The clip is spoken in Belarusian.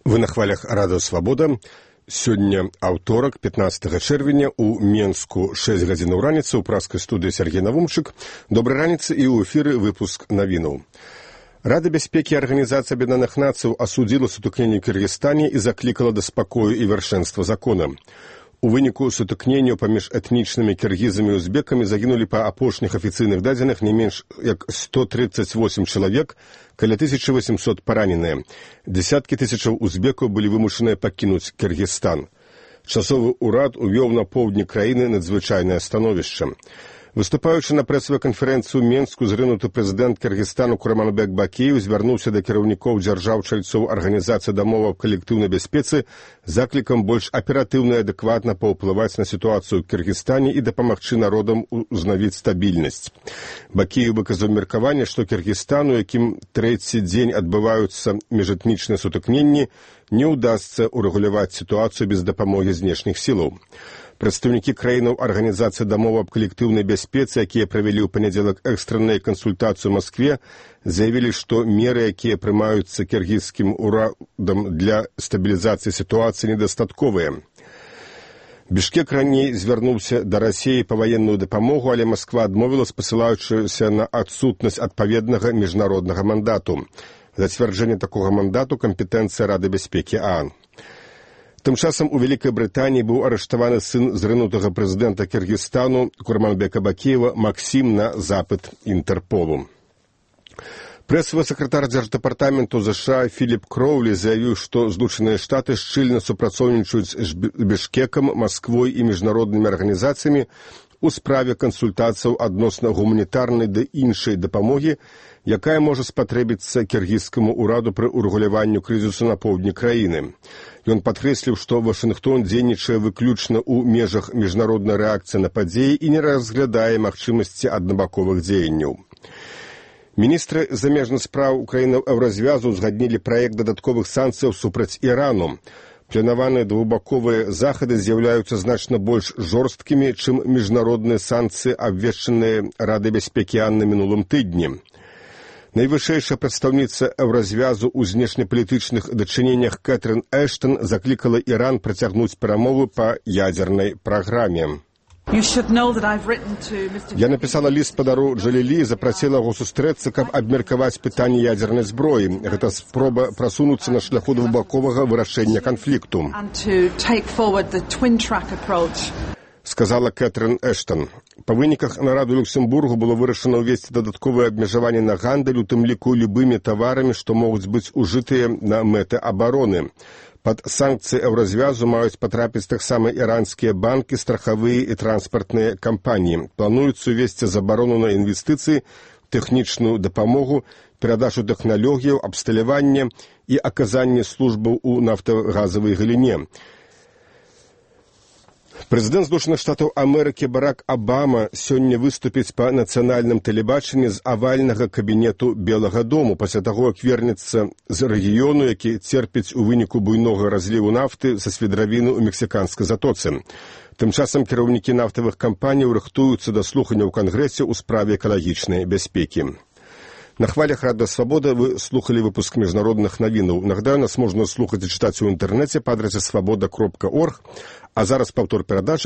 Вы на хвалях Радыё Свабода. Сёння аўторак, 15 чэрвеня, у Менску 6 гадзінаў раніцы, у праскай студыі Сергей Навумчык. Добрай раніцы і ў эфіры выпуск навінаў. Рада бяспекі Арганізацыі Аб'яднаных Нацый асудзіла сутыкненне ў Кыргызстане і заклікала да спакою і вяршэнства закона. У выніку сутыкнення паміж этнічнымі кіргізамі і узбекамі загінулі па апошніх афіцыйных дадзеных не менш як 138 чалавек, каля 1800 параненыя. Дзесяткі тысячаў узбекаў былі вымушаныя пакінуць Кыргызстан. Часовы ўрад увёў на поўдні краіны надзвычайнае становішча. Выступаючы на прэсавай канферэнцыі ў Менску, зрынуты прэзідэнт Кыргызстану Курманбек Бакиев звярнуўся да кіраўнікоў дзяржаў-чальцоў Арганізацыі дамоў аб калектыўнай бяспецы заклікам больш аператыўна і адэкватна паўплываць на сітуацыю ў Кыргызстане і дапамагчы народам узнавіць стабільнасць. Бакиев выказаў меркаванне, што Кыргызстану, якім трэці дзень адбываюцца міжэтнічныя сутыкненні, не ўдасца урэгуляваць сітуацыю без дапамогі знешніх сілаў. Прадстаўнікі краінаў Арганізацыі дамоў аб калектыўнай бяспецы, якія правялі ў панядзелак экстранную кансультацыю ў Маскве, заявілі, што меры, якія прымаюцца кіргізскім урадам для стабілізацыі сітуацыі, недастатковыя. Бішкек раней звярнуўся да Расіі па ваенную дапамогу, але Масква адмовіла, спасылаючыся на адсутнасць адпаведнага міжнароднага мандату. Зацвярджэнне такога мандату кампетэнцыя Рады бяспекі ААН. Тым часам у Вялікай Брытаніі быў арыштаваны сын зрынутага прэзідэнта Кыргызстану Курманбека Бакиева Максім на запыт Інтэрполу. Прэсавы сакратар дзярждэпартаменту ЗША Філіп Кроўлі заявіў, што Злучаныя Штаты шчыльна супрацоўнічаюць з Бішкекам, Масквой і міжнароднымі арганізацыямі у справе кансультацыяў адносна гуманітарнай ды іншай дапамогі, якая можа спатрэбіцца кіргізскаму ўраду пры урэгуляванню крызісу на поўдні краіны. Ён падкрэсліў, што Вашынгтон дзейнічае выключна ў межах міжнароднай рэакцыі на падзеі і не разглядае магчымасці аднабаковых дзеянняў. Міністры замежных спраў краінаў Еўразвязу узгаднілі праект дадатковых санкцыяў супраць Ірану. Планаваныя двухбаковыя захады з'яўляюцца значна больш жорсткімі, чым міжнародныя санкцыі, абвешчаныя Радай бяспекі ААН на мінулым тыдні. Найвышэйшая прадстаўніца Еўразвязу ў знешнепалітычных дачыненнях Кэтрын Эштон заклікала Іран працягнуць перамовы па ядзернай праграме. Я напісала ліст спадару Джалілі і запрасіла яго сустрэцца, каб абмеркаваць пытанне ядзернай зброі. Гэта спроба прасунуцца на шляху двухбаковага вырашэння канфлікту, сказала Кэтрын Эштон. Па выніках нараду Люксембургу было вырашана ўвесці дадатковыя абмежаванні на гандаль, у тым ліку любымі таварамі, што могуць быць ужытыя на мэты абароны. Пад санкцыі Еўразвязу маюць патрапіць таксама іранскія банкі, страхавыя і транспартныя кампаніі. Плануецца увесці забарону на інвестыцыі, тэхнічную дапамогу, перадачу тэхналогіяў, абсталяванне і аказанне службаў у нафтагазавай галіне. Прэзідэнт Злучаных Штатаў Амерыкі Барак Абама сёння выступіць па нацыянальным тэлебачанні з авальнага кабінету Белага дому пасля таго, як вернецца з рэгіёну, які церпіць у выніку буйнога разліву нафты са свідравіны ў мексіканскай затоцы. Тым часам кіраўнікі нафтавых кампаній рыхтуюцца да слухання ў Кангрэсе ў справе экалагічнай бяспекі. На хвалях Радыё Свабода вы слухали выпуск міжнародных навінаў. Нагадаю, нас можна слухаць і чытаць у інтэрнэце па адрасе свабода.орг, а зараз паўтор перадачы